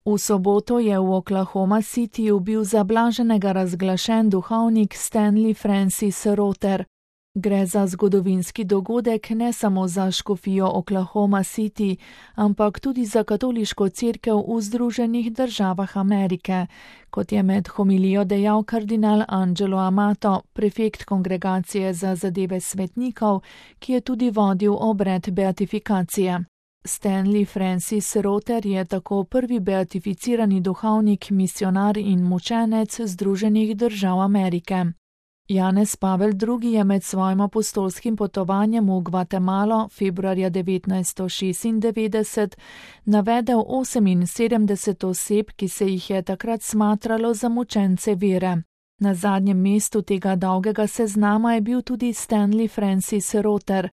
V soboto je v Oklahoma Cityju bil zablaženega razglašen duhovnik Stanley Francis Rother. Gre za zgodovinski dogodek ne samo za škofijo Oklahoma City, ampak tudi za katoliško cerkev v Združenih državah Amerike, kot je med homilijo dejal kardinal Angelo Amato, prefekt Kongregacije za zadeve svetnikov, ki je tudi vodil obred beatifikacije. Stanley Francis Rother je tako prvi beatificirani duhovnik, misionar in mučenec Združenih držav Amerike. Janez Pavel II. Je med svojim apostolskim potovanjem v Gvatemalo februarja 1996 navedel 78 oseb, ki se jih je takrat smatralo za mučence vere. Na zadnjem mestu tega dolgega seznama je bil tudi Stanley Francis Rother.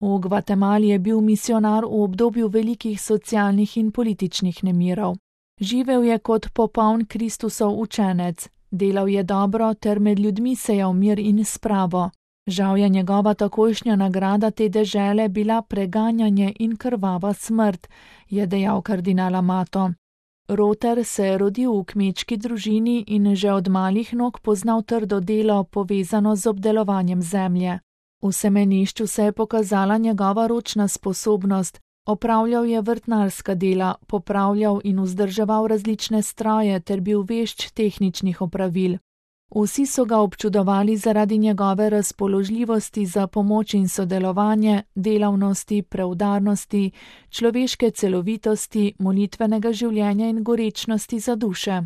V Gvatemali je bil misionar v obdobju velikih socialnih in političnih nemirov. Živel je kot popoln Kristusov učenec. Delal je dobro ter med ljudmi sejal mir in spravo. Žal je njegova takojšnja nagrada te dežele bila preganjanje in krvava smrt, je dejal kardinal Amato. Rother se je rodil v kmečki družini in že od malih nog poznal trdo delo, povezano z obdelovanjem zemlje. V semenišču se je pokazala njegova ročna sposobnost. Opravljal je vrtnarska dela, popravljal in vzdrževal različne stroje ter bil vešč tehničnih opravil. Vsi so ga občudovali zaradi njegove razpoložljivosti za pomoč in sodelovanje, delavnosti, preudarnosti, človeške celovitosti, molitvenega življenja in gorečnosti za duše.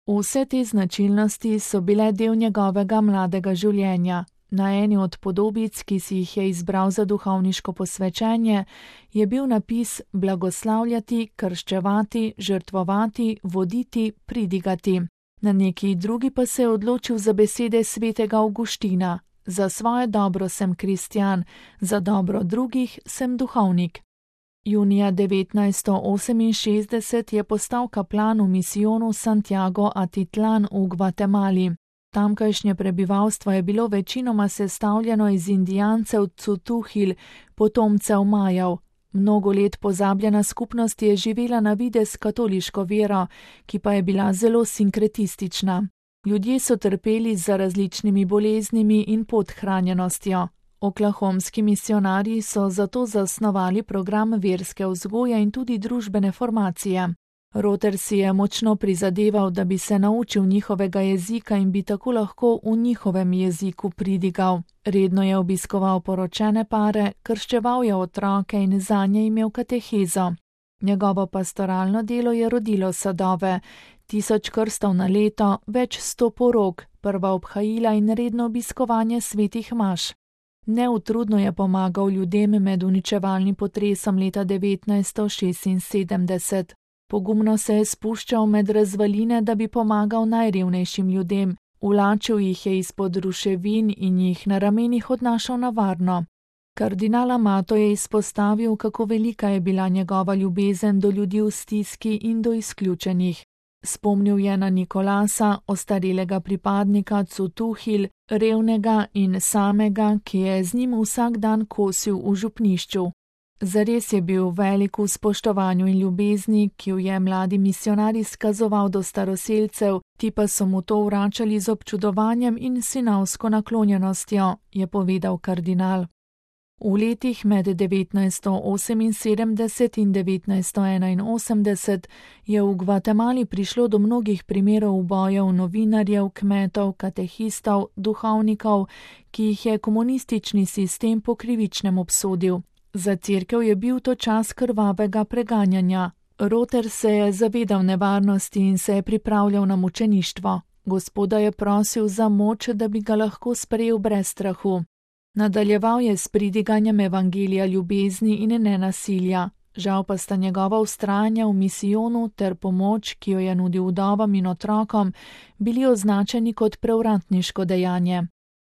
Vse te značilnosti so bile del njegovega mladega življenja. Na eni od podobic, ki si jih je izbral za duhovniško posvečenje, je bil napis blagoslavljati, krščevati, žrtvovati, voditi, pridigati. Na neki drugi pa se je odločil za besede svetega Avguština: za svoje dobro sem kristjan, za dobro drugih sem duhovnik. Junija 1968 je postal kaplan v misijonu Santiago Atitlan v Gvatemali. Tamkajšnje prebivalstvo je bilo večinoma sestavljeno iz indijancev Cutuhil, potomcev Majev. Mnogo let pozabljena skupnost je živela na videz katoliško vero, ki pa je bila zelo sinkretistična. Ljudje so trpeli za različnimi boleznimi in podhranjenostjo. Oklahomski misionarji so zato zasnovali program verske vzgoje in tudi družbene formacije. Rother si je močno prizadeval, da bi se naučil njihovega jezika in bi tako lahko v njihovem jeziku pridigal. Redno je obiskoval poročene pare, krščeval je otroke in zanje imel katehezo. Njegovo pastoralno delo je rodilo sadove, 1000 krstov na leto, več 100 porok, prva obhajila in redno obiskovanje svetih maš. Neutrudno je pomagal ljudem med uničevalnim potresom leta 1976. Pogumno se je spuščal med razvaline, da bi pomagal najrevnejšim ljudem, vlačil jih je izpod ruševin in jih na ramenih odnašal na varno. Kardinal Amato je izpostavil, kako velika je bila njegova ljubezen do ljudi v stiski in do izključenih. Spomnil je na Nikolasa, ostarelega pripadnika Cutuhil, revnega in samega, ki je z njim vsak dan kosil v župnišču. Zares je bil velik v spoštovanju in ljubezni, ki jo je mladi misionar izkazoval do staroselcev, ti pa so mu to vračali z občudovanjem in sinavsko naklonjenostjo, je povedal kardinal. V letih med 1978 in 1981 je v Gvatemali prišlo do mnogih primerov ubojev novinarjev, kmetov, katehistov, duhovnikov, ki jih je komunistični sistem po krivičnem obsodil. Za cerkev je bil to čas krvavega preganjanja. Rother se je zavedal nevarnosti in se je pripravljal na mučeništvo. Gospoda je prosil za moč, da bi ga lahko sprejel brez strahu. Nadaljeval je s pridiganjem evangelija ljubezni in nenasilja. Žal pa sta njegova vztrajanja v misijonu ter pomoč, ki jo je nudil vdovam in otrokom, bili označeni kot prevratniško dejanje.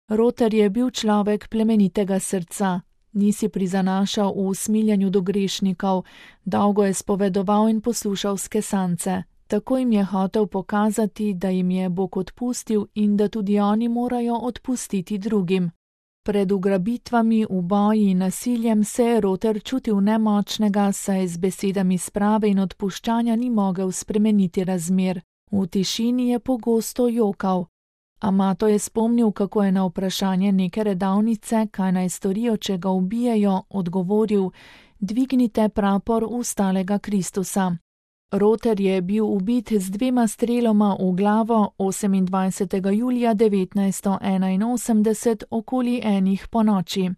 Rother je bil človek plemenitega srca. Ni si prizanašal v usmiljanju do grešnikov, dolgo je spovedoval in poslušal skesance. Tako jim je hotel pokazati, da jim je Bog odpustil in da tudi oni morajo odpustiti drugim. Pred ugrabitvami, uboji in nasiljem se je Roter čutil nemočnega, saj z besedami sprave in odpuščanja ni mogel spremeniti razmer. V tišini je pogosto jokal. Amato je spomnil, kako je na vprašanje neke redavnice, kaj naj storijo, če ga ubijejo, odgovoril: dvignite prapor ustalega Kristusa. Roter je bil ubit z 2 streloma v glavo 28. julija 1981 okoli 1 ponoči.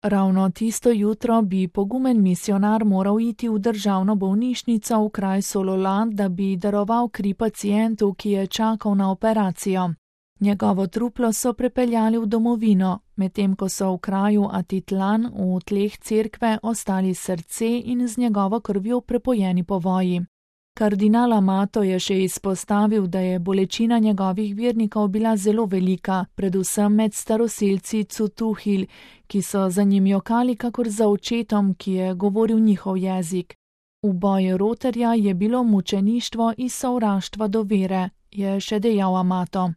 Ravno tisto jutro bi pogumen misionar moral iti v državno bolnišnico v kraj Solola, da bi daroval kri pacientu, ki je čakal na operacijo. Njegovo truplo so prepeljali v domovino, medtem ko so v kraju Atitlan v tleh cerkve ostali srce in z njegovo krvjo prepojeni povoji. Kardinal Amato je še izpostavil, da je bolečina njegovih vernikov bila zelo velika, predvsem med staroselci Cutuhil, ki so za njim jokali kakor za očetom, ki je govoril njihov jezik. Uboj Roterja je bilo mučeništvo iz sovraštva do vere, je še dejal Amato.